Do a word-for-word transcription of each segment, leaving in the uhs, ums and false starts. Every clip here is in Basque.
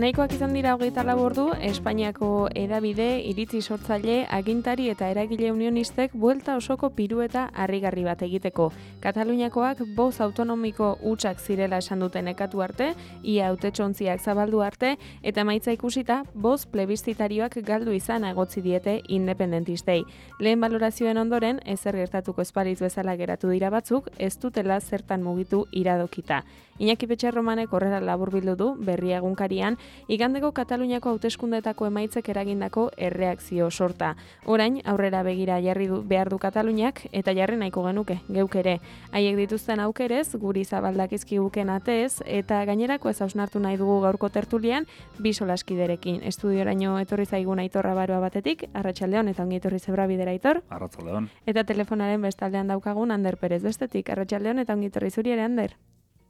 Nahikoak izan dira hogeita lau ordu, Espainiako hedabide, iritzi sortzaile, agintari eta eragile unionistek buelta osoko pirueta harrigarri bat egiteko. Kataluniakoak boz autonomiko hutsak zirela esan duten nekatu arte, ia hautetsontziak zabaldu arte, eta emaitza ikusita, boz plebiszitarioak galdu izan egotzi diete independentistei. Lehen balorazioen ondoren, ezer gertatuko espalitz bezala geratu dira batzuk, ez dutela zertan mugitu iradokita. Iñaki Petxerromanek horrela laburbildu du berria egunkarian, igandeko Kataluniako hauteskundetako emaitzek eragindako erreakzio sorta. Orain, aurrera begira jarri du, behar du Kataluniak, eta jarri nahiko genuke, geuk ere. Haiek dituzten aukerez, guri zabaldakizkiguken atez, eta gainerako ez hausnartu nahi dugu gaurko tertulian, bi solaskiderekin. Estudioraino etorri zaigun Aitor Abaroa batetik, Arratsaldeon, eta ongi etorri Zebrabidera, Aitor. Arratsaldeon. Eta telefonaren bestaldean daukagun Ander Perez bestetik, Arratsaldeon, eta ongi etorri zuri ere, Ander.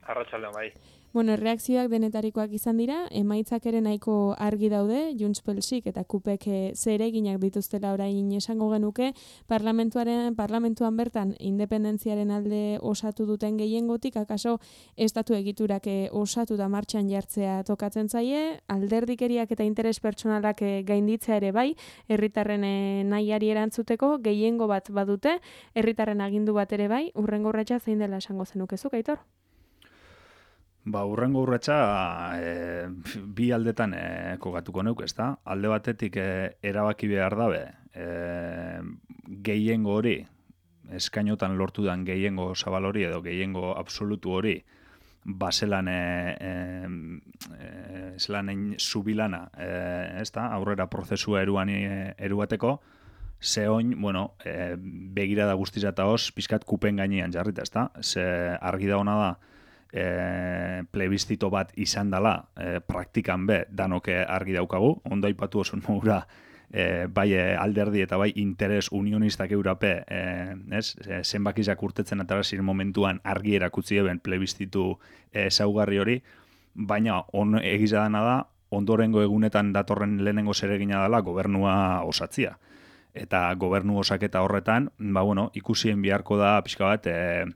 Arratsaldeon, bai. Bueno, erreakzioak denetarikoak izan dira, emaitzak ere nahiko argi daude, Junts Pelsik eta Kupek zereginak dituztela orain esango genuke, parlamentuaren parlamentuan bertan independentziaren alde osatu duten gehiengotik, akaso estatu egiturak osatu da martxan jartzea tokatzen zaie, alderdikeriak eta interes pertsonalak gainditzea ere bai, herritarren nahiari erantzuteko gehiengo bat badute, herritarren agindu bat ere bai, hurrengo urratsa zein dela esango zenukezuk, Aitor? Ba, urrengo urratsa e, bi aldetan e, kokatuko neuk, ezta? Alde batetik e, erabaki behar dabe, e, gehiengo hori, eskainotan lortu dan gehiengo zabal hori edo gehiengo absolutu hori, baselan e, e, e, zelanen zubilana, e, ezta? Aurrera prozesua eruan e, eruateko, ze oin, bueno, e, begira da guztiz eta hoz, pizkat kupen gainean jarrita, ezta? Ze argi da ona da, E, plebizito bat izan dela e, praktikan be danoke argi daukagu, ondo aipatu oso nogura e, bai alderdi eta bai interes unionistak eurape e, ez, e, zenbakizak urtetzen atarazir momentuan argi erakutzi eben plebizitu e, zaugarri hori, baina on, egiza dana da, ondorengo egunetan datorren lehenengo zeregina dela gobernua osatzia. Eta gobernu osaketa horretan, ba bueno, ikusien beharko da pixka bat, e,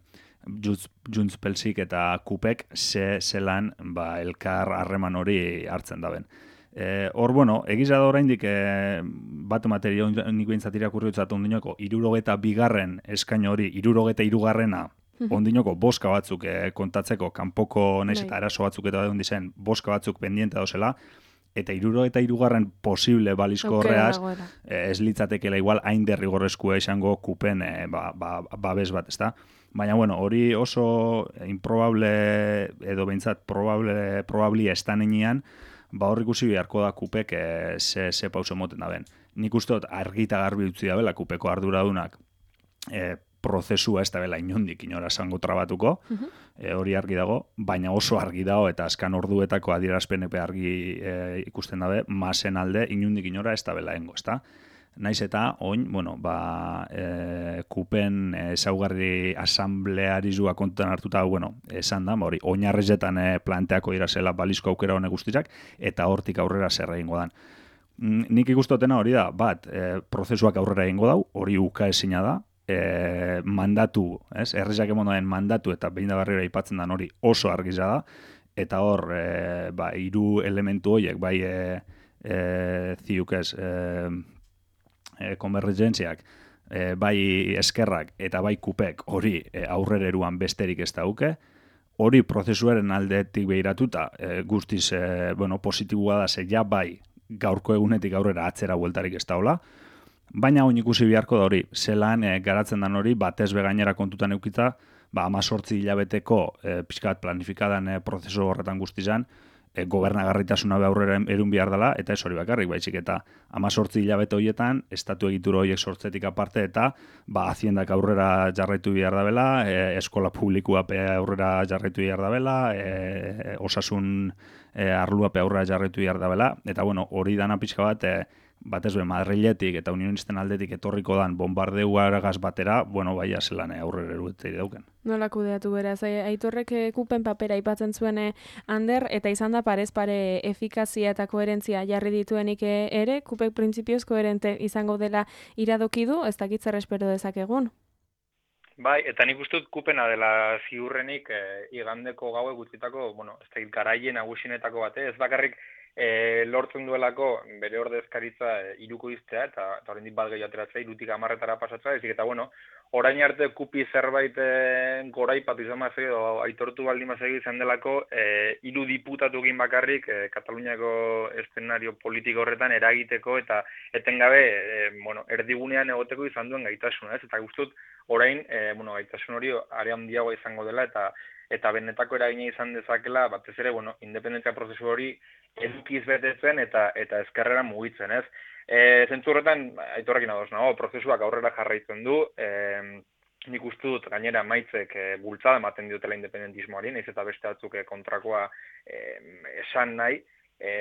Junts Pelsik eta Kupek ze zelan ba, elkar harreman hori hartzen daben. E, hor, bueno, egiza da oraindik e, bat materia nik behintzat irakurri utzat ondinoko, irurogeta bigarren eskain hori, irurogeta irugarrena ondinoko boska batzuk e, kontatzeko, kanpoko nes eta arazo batzuk eta da zen, boska batzuk pendiente dauzela, eta irurogeta irugarren posible balizko horreaz, e, ez litzatekela igual hain derrigorrezkoa izango Kupen e, ba, ba, babes bat, ezta? Baina, bueno, hori oso improbable edo behintzat probable, probabli estanenean, ba hor ikusi beharko da Kupek e, ze, ze pauso moten da ben. Nik uste dut argita garbi utzi da bela Kupeko arduradunak e, prozesua ez da bela inondik inora zango trabatuko, uh-huh. e, hori argi dago, baina oso argi dago eta azkan orduetako adierazpenepe argi e, ikusten dabe, masen alde inondik inora ez da bela engo, ez da? Naiz eta, oin, bueno, ba, e, Kupen ezaugarri asamblearizua kontutan hartuta, bueno, esan da, hori, oinarrezetan e, planteako irazela balizko aukera honek guztiak, eta hortik aurrera zer egingo dan. Nik ikustotena hori da, bat, e, prozesuak aurrera egingo dau, hori uka ezina da, e, mandatu, ez, errezak emonoen mandatu eta behin da barrera ipatzen dan hori oso argiza da, eta hor, e, ba, hiru elementu horiek, bai, e, e, ziuk ez, e, E, konbergentziak, e, bai eskerrak eta bai Kupek hori e, aurrera eruan besterik ez dauke, hori prozesuaren aldetik behiratuta e, guztiz e, bueno, positiboa da ze ja bai gaurko egunetik aurrera atzera bueltarik ez daula, baina oin ikusi beharko da hori, zelan e, garatzen dan hori batez begainera kontutan eukita, ba amazortzi hilabeteko e, pixkat planifikadan e, prozesu horretan guztizan, E, gobernagarritasuna be aurrera erun behar dela, eta ez hori bakarrik, baizik eta amazortzi hilabete horietan, estatu egitura horiek sortzetik aparte, eta ba, haziendak aurrera jarraitu behar dabela, e, eskola publikua pe aurrera jarraitu behar dabela, e, osasun e, arlua pe aurrera jarraitu behar dabela, eta bueno, hori dana pixka bat, e, batez be Madriletik eta unionisten aldetik etorriko dan bombardeuagaz batera, bueno, baia zelan aurrera erutei dauken. Nola kudeatu beraz, Aitorrek Kupen papera aipatzen zuen Ander, eta izan da parez pare efikazia eta koherentzia jarri dituenik ere, Kupek printzipioz koherente izango dela iradoki du, ez dakit zer espero dezakegun? Bai, eta nik uste dut Kupena dela ziurrenik e, igandeko gaue gutxitako, bueno, ez dakit garaien nagusienetako bate, ez bakarrik e, lortzen duelako bere ordezkaritza e, iruko iztea, eta, eta horrendik bat gehi ateratzea, irutik amarretara pasatzea, ezik eta bueno, orain arte kupi zerbait e, goraipatu izan mazegi, edo aitortu baldin mazegi izan delako, e, hiru diputatu egin bakarrik e, Kataluniako eszenario politiko horretan eragiteko eta etengabe e, bueno, erdigunean egoteko izan duen gaitasuna, ez? Eta guztut, orain, e, bueno, gaitasun hori are handiagoa izango dela, eta eta benetako eragina izan dezakela, batez ere, bueno, independentzia prozesu hori edukiz betetzen eta eta ezkerrera mugitzen, ez? E, zentzu horretan, aitorrekin ados nago, prozesuak aurrera jarraitzen du, e, nik uste dut gainera maitzek e, bultzada ematen diotela independentismoari, nahiz eta beste batzuk e, kontrakoa e, esan nahi, e,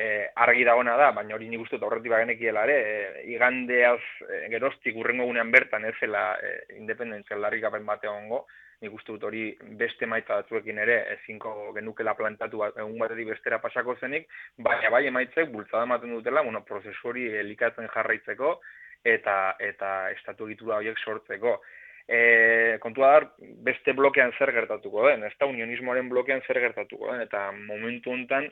argi dagoena da, baina hori nik uste dut aurretik bagenekiela ere, e, igandeaz e, geroztik urrengo gunean bertan ez zela e, independentzia aldarrikapen bate egongo, nik uste dut hori beste maitza batzuekin ere ezinko genukela plantatu egun batetik bestera pasako zenik, baina bai emaitzek bultzada ematen dutela, bueno, prozesu hori elikatzen jarraitzeko eta eta estatu egitura horiek sortzeko. E, kontua da, beste blokean zer gertatuko den, ez da unionismoaren blokean zer gertatuko den, eta momentu honetan,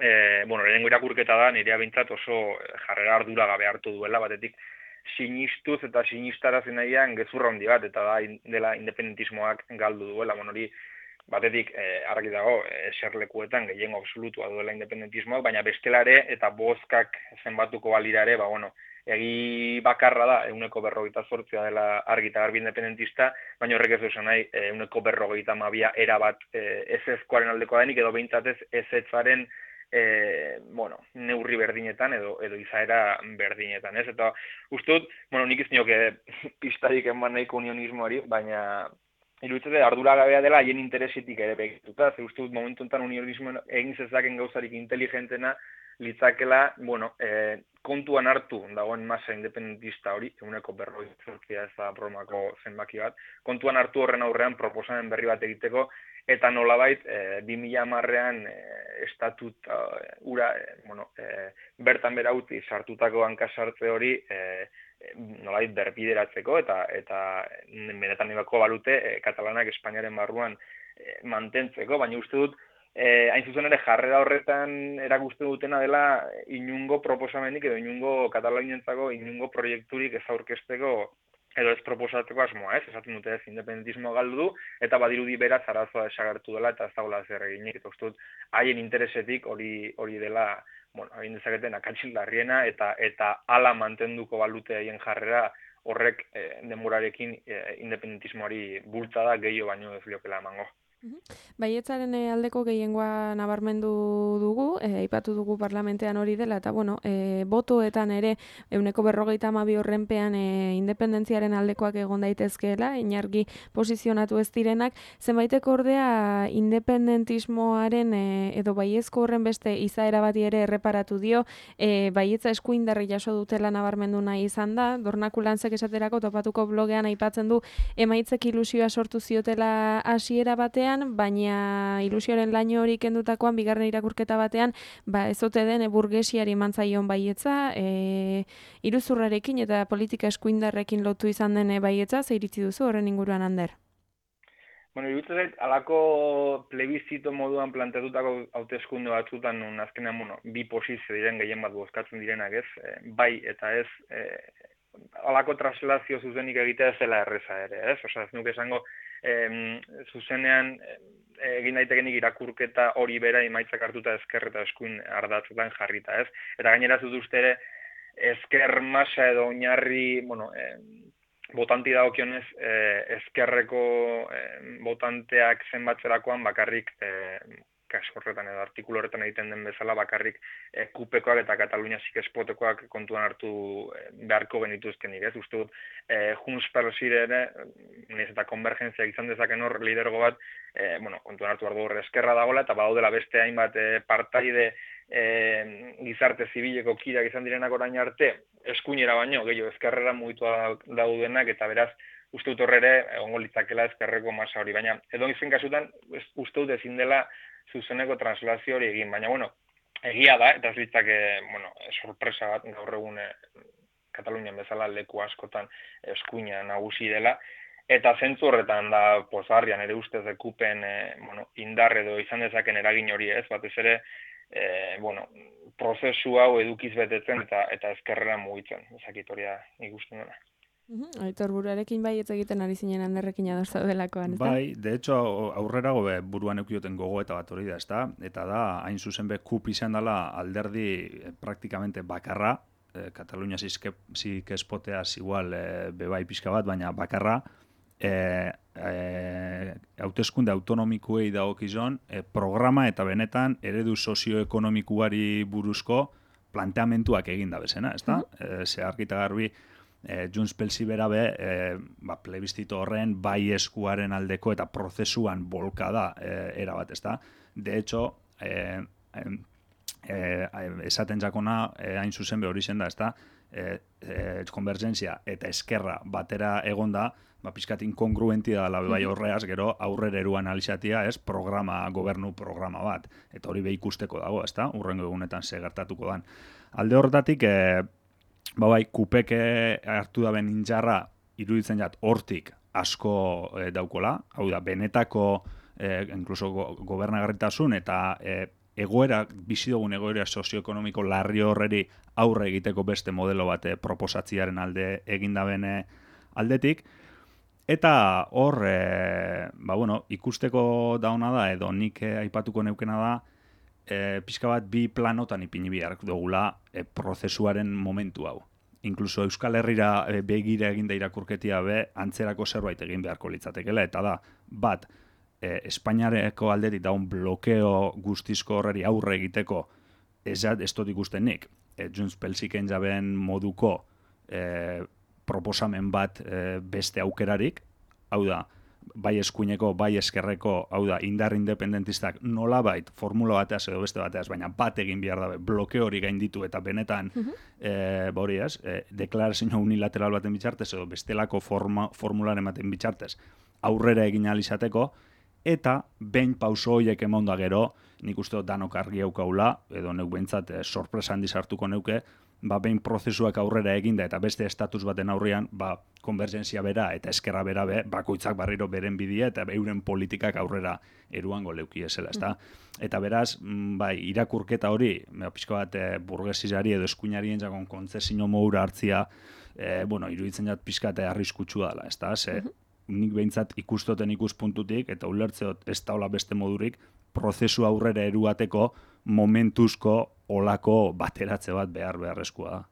e, bueno, lehenengo irakurketa da, nirea bintzat oso jarrera ardura gabe hartu duela, batetik, sinistuz eta sinistarazen nahian gezurra handi bat, eta da dela independentismoak galdu duela, bon hori batetik eh, argi dago eserlekuetan gehiengo absolutua duela independentismoak, baina bestelare eta bozkak zenbatuko balira ere, ba, bueno, egi bakarra da, euneko berrogeita zortzia dela argi eta garbi independentista, baina horrek ez duzen nahi, euneko berrogeita mabia erabat eh, ez ezkoaren aldekoa denik, edo behintzatez ez etzaren E, bueno, neurri berdinetan edo edo izaera berdinetan, ez? Eta uste dut, bueno, nik ez nioke pistarik eman nahiko unionismoari, baina iruditzen arduragabea dela haien interesetik ere begituta, ze uste dut momentu enten unionismo egin zezaken gauzarik inteligentena litzakela, bueno, e, kontuan hartu dagoen masa independentista hori, eguneko berroi zortzia ez da bromako zenbaki bat, kontuan hartu horren aurrean proposamen berri bat egiteko, eta nolabait, e, bi mila hamarrean e, estatut e, ura, e, bueno, e, bertan bera uti sartutako hankasartze hori e, e, nolabait berbideratzeko, eta eta benetan nibako balute e, Katalanak Espainiaren barruan e, mantentzeko, baina uste dut, e, hain zuzen ere jarrera horretan erakusten dutena dela inungo proposamenik edo inungo Katalanientzako inungo proiekturik ez aurkezteko edo ez proposatzeko asmoa, ez? Esaten dute ez, independentismo galdu du, eta badirudi beraz arazoa desagertu dela, eta ez dagoela zer eginik, eta uste dut, haien interesetik hori hori dela, bueno, haien dezaketen akatsil larriena, eta eta ala mantenduko balute haien jarrera, horrek eh, denborarekin eh, independentismoari bultzada gehiago baino ez liokela emango. Baietzaren aldeko gehiengoa nabarmendu dugu, aipatu dugu parlamentean hori dela, eta bueno, e, botoetan ere euneko berrogeita hamabi horrenpean e, independentziaren aldekoak egon daitezkeela, inargi posizionatu ez direnak, zenbaitek ordea independentismoaren e, edo baiezko horren beste izaera bati ere erreparatu dio, e, baietza eskuindarri jaso dutela nabarmendu nahi izan da, Dornakulantzek esaterako topatuko blogean aipatzen du emaitzek ilusioa sortu ziotela hasiera batean, baina ilusioaren laino hori kendutakoan bigarren irakurketa batean, ba ez ote den e, burgesiari mantzaion baietza, e, iruzurrarekin eta politika eskuindarrekin lotu izan den baietza, ze iritzi duzu horren inguruan, Ander? Bueno, iruditzen zait, alako plebizito moduan planteatutako hauteskunde batzutan, nun azkenean, bueno, bi posizio diren gehien bat bozkatzen direnak, ez? E, bai eta ez, e, alako translazio zuzenik egitea ez dela erreza ere, ez? Osa, ez nuke esango, Em, zuzenean egin daitekenik irakurketa hori bera emaitzak hartuta ezker eta eskuin ardatzetan jarrita, ez? Eta gainera zut uste ere ezker masa edo oinarri, bueno, eh, botanti dagokionez eh, ezkerreko eh, botanteak zenbatzerakoan bakarrik eh, kasu horretan edo artikulu horretan egiten den bezala bakarrik e, kupekoak eta Katalunia zikespotekoak kontuan hartu e, beharko genituzkenik, ez? Uste dut, e, Junts per Sire ere, nez eta konvergentzia izan dezaken hor lidergo bat, e, bueno, kontuan hartu behar du eskerra dagoela, eta badaudela beste hainbat e, partaide e, gizarte zibileko kirak izan direnak orain arte, eskuinera baino, gehiago ezkerrera mugitua daudenak, eta beraz, uste dut horre ere, egongo litzakela ezkerreko masa hori, baina edo izen kasutan, uste dut ezin dela zuzeneko translazio hori egin, baina, bueno, egia da, eta ez litzake, bueno, sorpresa bat, gaur egun e, Katalunian bezala leku askotan eskuina nagusi dela, eta zentzu horretan da pozarrian ere ustez dekupen e, bueno, indar edo izan dezaken eragin hori ez, batez ere, e, bueno, prozesu hau edukiz betetzen eta eta ezkerrera mugitzen, ezakit hori nik uste dena. Uh-huh. Aitor, buruarekin bai ez egiten ari zinen Anderrekin ados zaudelakoan, ezta? Bai, de hecho, aurrerago be, buruan eukioten gogoeta bat hori da, ezta? Eta da, hain zuzen be, kup izan dela alderdi eh, praktikamente bakarra, eh, Katalunia zikespoteaz igual eh, bebai pixka bat, baina bakarra, eh, eh, hauteskunde autonomikuei dagokizon, eh, programa eta benetan eredu sozioekonomikuari buruzko planteamentuak eginda bezena, ezta? Uh-huh. eh, ze argita garbi, Eh, Junts Pelsi bera be, eh, ba, plebiztito horren bai eskuaren aldeko eta prozesuan bolka da eh, erabat, ezta? De hecho, eh, eh, esaten jakona eh, hain zuzen be hori zen da, ezta? Eh, eh, konvergentzia eta eskerra batera egonda, ba, pixkat inkongruenti da la bai horreaz, gero aurrera eru analizatia, ez, programa, gobernu programa bat, eta hori be ikusteko dago, ezta? Urrengo egunetan ze gertatuko dan. Alde horretatik, eh, ba bai, kupeke hartu da ben injarra iruditzen jat hortik asko e, daukola, hau da, benetako e, incluso go, gobernagarritasun eta e, egoera, bizi dugun egoera sozioekonomiko larri horreri aurre egiteko beste modelo bat e, proposatziaren alde eginda bene aldetik, eta hor, e, ba bueno, ikusteko dauna da, edo nik e, aipatuko neukena da, E, pixka bat bi planotan ipini behar dugula e, prozesuaren momentu hau. Inkluso Euskal Herrira e, begira eginda irakurketia be, antzerako zerbait egin beharko litzatekela, eta da, bat, e, Espainiareko aldetik daun blokeo guztizko horreri aurre egiteko ez, ez dut ikusten nik. E, Junts Pelsiken jaben moduko e, proposamen bat e, beste aukerarik, hau da, bai eskuineko, bai eskerreko, hau da, indar independentistak nolabait formula bateaz edo beste bateaz, baina bat egin behar dabe, blokeo hori gainditu eta benetan, uh-huh. e, bori ez, e, deklarazio unilateral baten bitxartez edo bestelako forma, formularen baten bitxartez aurrera egin alizateko, eta behin pauso horiek emonda gero, nik uste danok argi eukaula, edo neuk behintzat e, sorpresa handiz hartuko neuke, ba, behin prozesuak aurrera eginda eta beste estatus baten aurrean, ba, konvergentzia bera eta eskerra bera be, bakoitzak barriro beren bidea eta euren politikak aurrera eruango leuki esela, ezta? Mm. Eta beraz, bai, irakurketa hori, pixko bat e, burgesizari edo eskuinari entzakon kontzesio modura hartzia, e, bueno, iruditzen jat pixkat arriskutsua dela, ezta? Ze, mm-hmm. nik behintzat ikustoten ikuspuntutik eta ulertzeot ez daula beste modurik, prozesu aurrera eruateko momentuzko olako bateratze bat behar beharrezkoa da.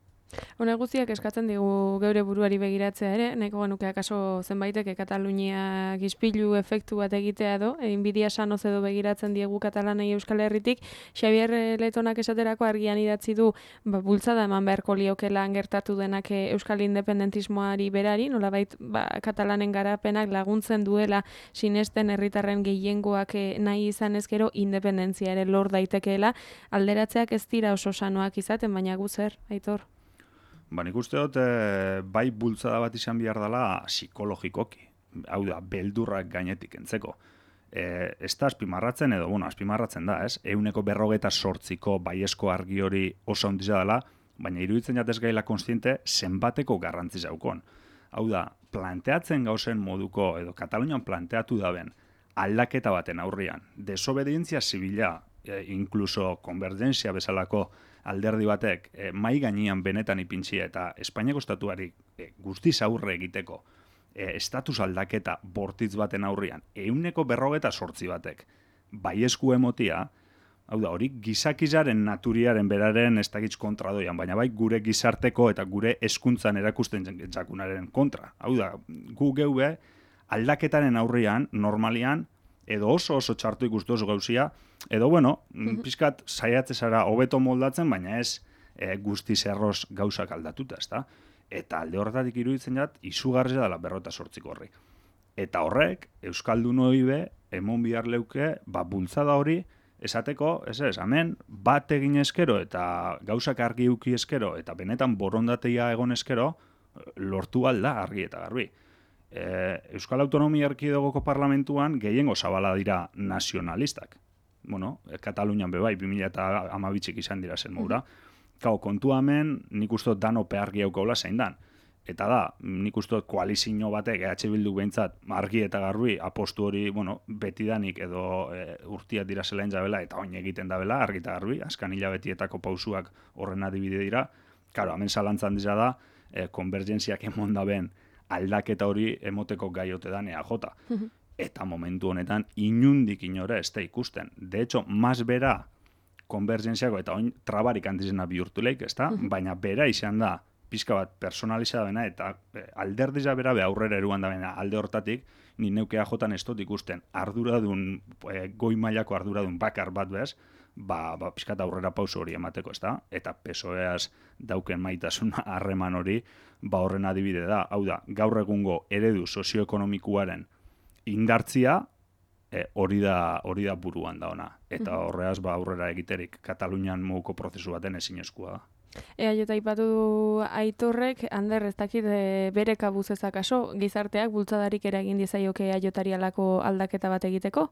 Hone guztiak eskatzen digu geure buruari begiratzea ere, nahiko genuke akaso zenbaiteke Katalunia gizpilu efektu bat egitea edo, inbidia sanoz edo begiratzen diegu Katalanei Euskal Herritik. Xabier Letonak esaterako argian idatzi du, ba, bultzada eman beharko liokelan gertatu denak Euskal Independentismoari berari, nolabait ba, Katalanen garapenak laguntzen duela sinesten herritarren gehiengoak nahi izan ezkero independentzia ere lor daitekeela, alderatzeak ez dira oso sanoak izaten, baina guzer, Aitor? Ba, nik uste dut, e, bai bultzada bat izan behar dela psikologikoki. Hau da, beldurrak gainetik entzeko. E, ez da azpimarratzen edo, bueno, azpimarratzen da, ez? Euneko berrogeta sortziko baiesko argi hori oso ondiza dela, baina iruditzen jatez gaila konstiente zenbateko garrantzi zaukon. Hau da, planteatzen gauzen moduko, edo Katalunian planteatu daben, aldaketa baten aurrian, desobedientzia zibila, e, inkluso konvergentzia bezalako alderdi batek e, mai gainean benetan ipintzi eta Espainiako estatuari e, guztiz aurre egiteko e, estatus aldaketa bortitz baten aurrian, euneko berrogeta sortzi batek, bai esku emotia, hau da, hori gizakizaren naturiaren beraren ez dakitz kontra doian, baina bai gure gizarteko eta gure hezkuntzan erakusten jakunaren kontra. Hau da, gu geube aldaketaren aurrian, normalian, edo oso oso txartu ikustu oso gauzia, edo bueno, mm-hmm. pizkat saiatze zara hobeto moldatzen, baina ez e, guztiz erroz gauzak aldatuta, ezta? Eta alde horretatik iruditzen jat, izugarria dela berrota sortziko horri. Eta horrek, Euskaldun hori be, emon bihar leuke, ba, bultzada hori, esateko, ez ez, hemen, bat egin eskero, eta gauzak argi uki eskero, eta benetan borondatea egon eskero, lortu alda argi eta garbi. E, Euskal Autonomia Erkidegoko parlamentuan gehiengo zabala dira nazionalistak. Bueno, Katalunian bebai, bi mila hamabitzik izan dira zen moura. Kau, kontu hemen, nik uste dano pehargi aukaula zein dan. eta da, nik uste dut koalizio batek, E H Bildu behintzat, argi eta garbi, apostu hori, bueno, betidanik edo e, urtiak dira zelain jabela, eta oin egiten dabela, argi eta garbi, askan hilabetietako pausuak horren adibide dira. Karo, hemen zalantzan dira da, e, konvergentziak emon daben aldaketa hori emoteko gaiote da E A J. Eta momentu honetan, inundik inora ez da ikusten. De hecho, mas bera konvergentziako eta oin trabarik antizena bihurtu leik, ez da? Baina bera izan da, pixka bat personaliza da bena, eta e, alderdiza bera be aurrera eruan da bena alde hortatik, ni neukea jotan ez dut ikusten arduradun, e, goi mailako arduradun bakar bat bez, ba, ba pixka eta aurrera pauso hori emateko, ez da? Eta P S O Eaz dauken maitasun harreman hori, ba horren adibide da. Hau da, gaur egungo eredu sozioekonomikuaren indartzia, E, hori da hori da buruan da ona. Eta horreaz ba aurrera egiterik Katalunian moduko prozesu baten ezinezkoa da. Ea jota ipatu du Aitorrek, Ander, ez dakit e, bere kabuz ezakaso, gizarteak bultzadarik eragin dizaioke Aiotari alako aldaketa bat egiteko?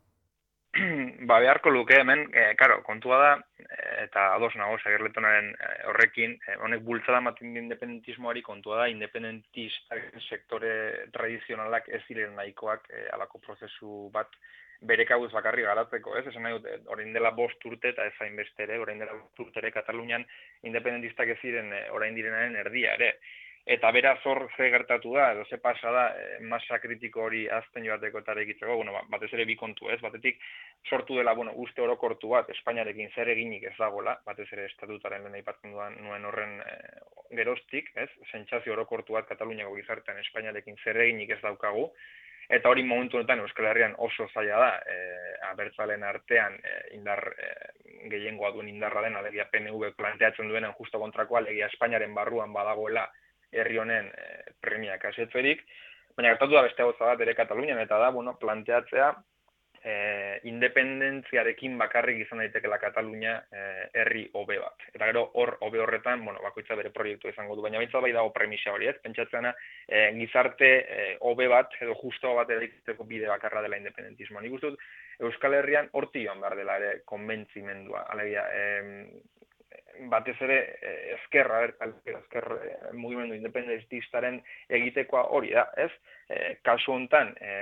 Ba, beharko luke hemen, e, karo, kontua da, eta ados nago, Sagerletonaren horrekin, e, honek bultzada ematen independentismoari kontua da, independentistak sektore tradizionalak ez ziren nahikoak e, alako prozesu bat bere kabuz bakarri garatzeko, ez? Esan nahi dut, orain dela bost urte eta ez hainbeste ere, orain dela bost urte ere Katalunian independentistak ez ziren orain direnaren erdia ere. Eta beraz hor ze gertatu da, edo ze pasa da, e, masa kritiko hori azten joateko eta egitzeko, bueno, batez ere bi kontu ez, batetik sortu dela, bueno, uste orokortu bat, Espainiarekin zer eginik ez dagoela, batez ere estatutaren lehen aipatzen duan nuen horren e, geroztik, ez, sentsazio orokortu bat Kataluniako gizartean Espainiarekin zer eginik ez daukagu, eta hori momentu honetan Euskal Herrian oso zaila da, e, abertzalen artean e, indar e, gehiengoa duen indarra den, alegia P N V planteatzen duenen justo kontrakoa, alegia Espainiaren barruan badagoela herri honen e, premiak asetzerik, baina gertatu da beste gauza bat ere Katalunian, eta da, bueno, planteatzea e, independentziarekin bakarrik izan daitekeela Katalunia e, herri hobe bat. Eta gero hor hobe horretan, bueno, bakoitza bere proiektu izango du, baina baita bai dago premisa hori, ez? Pentsatzeana e, gizarte hobe e, bat edo justo bat eraikiteko bide bakarra dela independentismoa. Nik uste dut Euskal Herrian horti joan behar dela ere konbentzimendua. Alegia, e, batez ere ezkerra, ezker mugimendu independentistaren egitekoa hori da, ez? E, kasu hontan, e,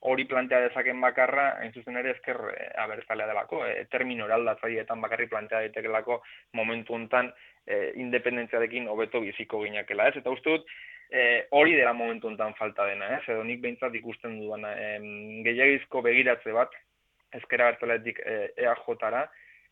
hori plantea dezaken bakarra, hain zuzen ere ezker e, abertzalea delako, e, termino eraldatzaileetan bakarri plantea daitekelako momentu hontan e, independentziarekin hobeto biziko ginakela, ez? Eta uste dut, e, hori dela momentu hontan falta dena, ez? Edo nik behintzat ikusten duana, e, gehiagizko begiratze bat, ezkera abertzaletik e, E A J-ra,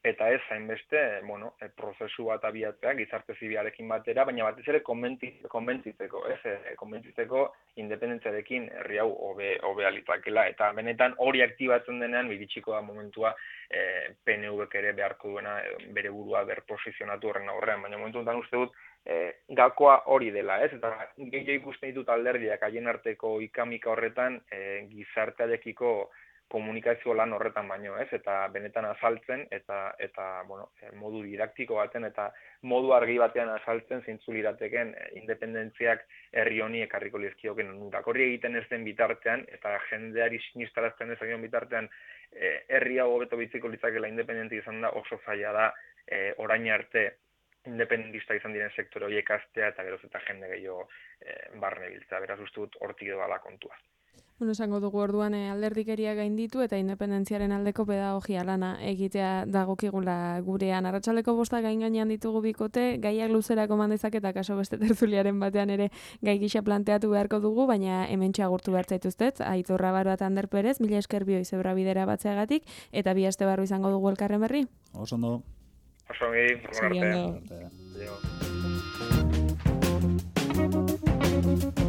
eta ez hainbeste, bueno, e, prozesu bat abiatzea gizarte zibilarekin batera, baina batez ere konbentzitzeko, ez, e, konbentzitzeko independentziarekin herri hau hobe hobe alitzakela, eta benetan hori aktibatzen denean iritsiko da momentua e, P N V-k ere beharko duena e, bere burua berposizionatu horren aurrean, baina momentu honetan uste dut e, gakoa hori dela, ez, eta gehiago ikusten ditut alderdiak haien arteko ikamika horretan e, gizartearekiko komunikazio lan horretan baino, ez? Eta benetan azaltzen eta eta bueno, modu didaktiko baten eta modu argi batean azaltzen zeintzu lirateken independentziak herri honi ekarriko lizkioken onurak. Hori egiten ez den bitartean eta jendeari sinistarazten dezakion bitartean eh, herri hau hobeto bitziko litzakela independente izan da oso zaila da eh, orain arte independentista izan diren sektore horiek astea eta geroz eta jende gehiago eh, barne biltzea. Beraz uste dut hortik doala kontua. Bueno, esango dugu orduan e, alderdikeria gainditu eta independentziaren aldeko pedagogia lana egitea dagokigula gurean. Arratsaldeko bosta gain gainean ditugu bikote, gaiak luzerako mandezak eta kaso beste tertuliaren batean ere gai gisa planteatu beharko dugu, baina hemen txagurtu behar zaituztet, Aitor Rabaro eta Ander Perez, mila esker bioi zebra bidera batzeagatik, eta bi aste barru izango dugu elkarren berri. Oso ondo. Oso ongi, ondo.